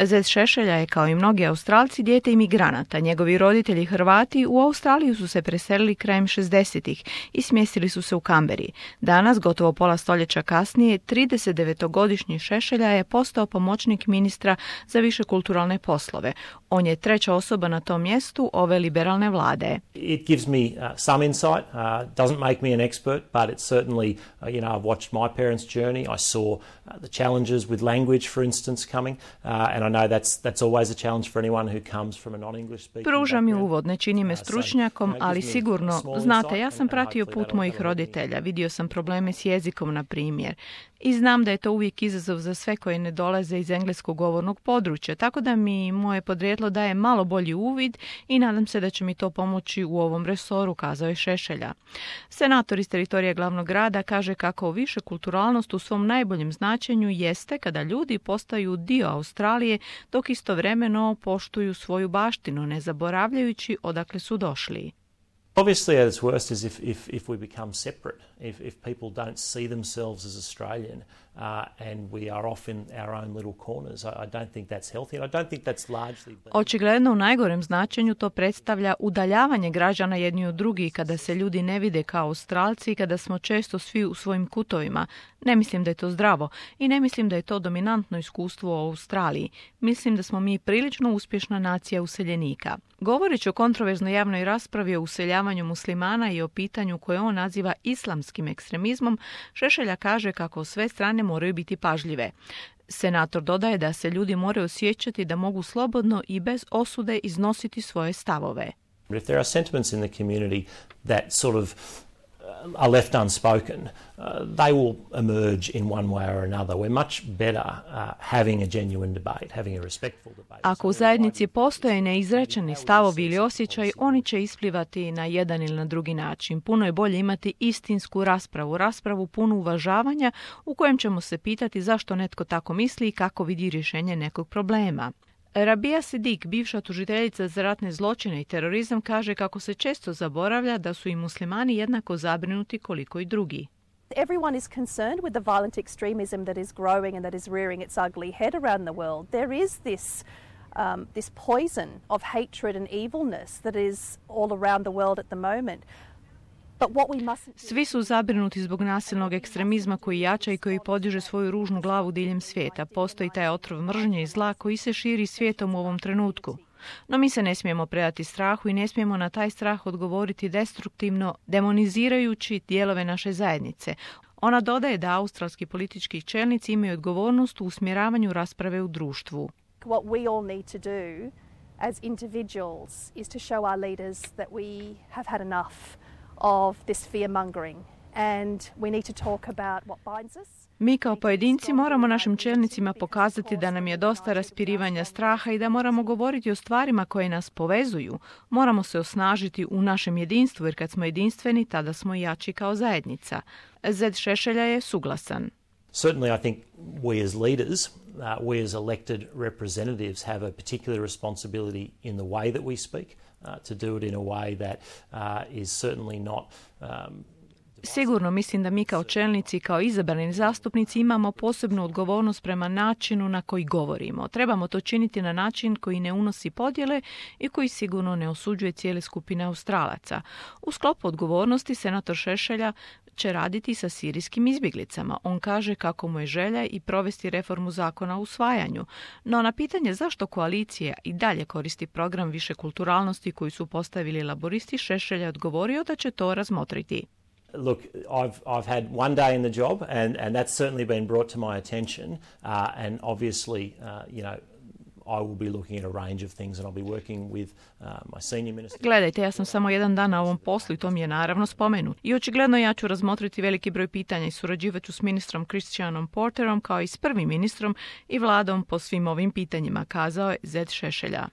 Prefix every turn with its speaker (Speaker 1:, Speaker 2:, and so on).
Speaker 1: Zet Šešelja je, kao i mnogi Australci, dijete imigranata. Njegovi roditelji Hrvati u Australiju su se preselili krajem 60-ih i smjestili su se u Kamberi. Danas, gotovo pola stoljeća kasnije, 39-godišnji Šešelja je postao pomoćnik ministra za višekulturalne poslove. On je treća osoba na tom mjestu ove liberalne vlade.
Speaker 2: It gives me some insight. Doesn't make me an expert, but it certainly, I've watched my parents' journey. I saw the challenges with language, for instance, coming, and I know that's always a challenge for anyone who comes from a non-English speaking background.
Speaker 1: Pruža mi uvod, ne čini me stručnjakom, ali sigurno, znate, ja sam pratio put mojih roditelja, vidio sam probleme s jezikom, na primjer, i znam da je to uvijek izazov za sve koji ne dolaze iz engleskog govornog područja, tako da mi moje podrijetlo daje malo bolji uvid i nadam se da će mi to pomoći u ovom resoru, kazao je Šešelja. Senator iz teritorija glavnog grada kaže kako višekulturalnost u svom najboljem značenju jeste kada ljudi postaju dio Australije dok istovremeno poštuju svoju baštinu, ne zaboravljajući odakle su došli.
Speaker 2: Obviously, at its worst is if we become separate, if people don't see themselves as Australian, and we are off in our own little corners. I don't think that's healthy, and I don't think that's largely...
Speaker 1: Očigledno u najgorem značenju to predstavlja udaljavanje građana jedni od drugih kada se ljudi ne vide kao Australci i kada smo često svi u svojim kutovima. Ne mislim da je to zdravo i ne mislim da je to dominantno iskustvo u Australiji. Mislim da smo mi prilično uspješna nacija useljenika. Govoreći o kontroverznoj javnoj raspravi o useljavanju muslimana i o pitanju koje on naziva islamskim ekstremizmom, Šešelja kaže kako sve strane moraju biti pažljive. Senator dodaje da se ljudi moraju osjećati da mogu slobodno i bez osude iznositi svoje stavove.
Speaker 2: If there are sentiments in the community that sort of are left unspoken, they will emerge in one way or another. We're much better having a genuine debate, having a respectful debate.
Speaker 1: Ako u zajednici postoje neizrečeni stavovi ili osjećaj, oni će isplivati na jedan ili na drugi način. Puno je bolje imati istinsku raspravu punu uvažavanja u kojem ćemo se pitati zašto netko tako misli i kako vidi rješenje nekog problema. Rabia Sidik, bivša tužiteljica za ratne zločine i terorizam, kaže kako se često zaboravlja da su i muslimani jednako zabrinuti koliko i drugi.
Speaker 3: Everyone is concerned with the violent extremism that is growing and that is rearing its ugly head around the world. There is this poison of hatred and evilness that is all around the world at the moment.
Speaker 1: Svi su zabrinuti zbog nasilnog ekstremizma koji jača i koji podiže svoju ružnu glavu diljem svijeta. Postoji taj otrov mržnje i zla koji se širi svijetom u ovom trenutku. No mi se ne smijemo predati strahu i ne smijemo na taj strah odgovoriti destruktivno, demonizirajući dijelove naše zajednice. Ona dodaje da australski politički čelnici imaju odgovornost u usmjeravanju rasprave u društvu.
Speaker 3: What we all need to do as individuals is to show our leaders that we have had enough of this fear-mongering and we need to talk about what binds us.
Speaker 1: Mi kao pojedinci moramo našim čelnicima pokazati da nam je dosta raspirivanja straha i da moramo govoriti o stvarima koje nas povezuju. Moramo se osnažiti u našem jedinstvu, jer kad smo jedinstveni, tada smo jači kao zajednica. Zed Šešelja je suglasan.
Speaker 2: Certainly I think we as leaders, we as elected representatives have a particular responsibility in the way that we speak, to do it in a way that is certainly not
Speaker 1: Sigurno mislim da mi kao čelnici, kao izabrani zastupnici imamo posebnu odgovornost prema načinu na koji govorimo. Trebamo to činiti na način koji ne unosi podjele i koji sigurno ne osuđuje cijele skupine Australaca. U sklopu odgovornosti senator Šešelja će raditi sa sirijskim izbjeglicama. On kaže kako mu je želja i provesti reformu zakona o usvajanju. No na pitanje zašto koalicija i dalje koristi program višekulturalnosti koji su postavili laboristi, Šešelja je odgovorio da će to razmotriti.
Speaker 2: Look, I've had one day in the job, and that's certainly been brought to my attention. And obviously, I will be looking at a range of things, and I'll be working with my senior minister.
Speaker 1: Gledajte, ja sam samo jedan dan na ovom poslu i to mi je naravno spomenut. I očigledno ja ću razmotriti veliki broj pitanja i surađivat ću s ministrom Christianom Porterom kao i s prvim ministrom i vladom po svim ovim pitanjima, kazao je Zed Šešelja.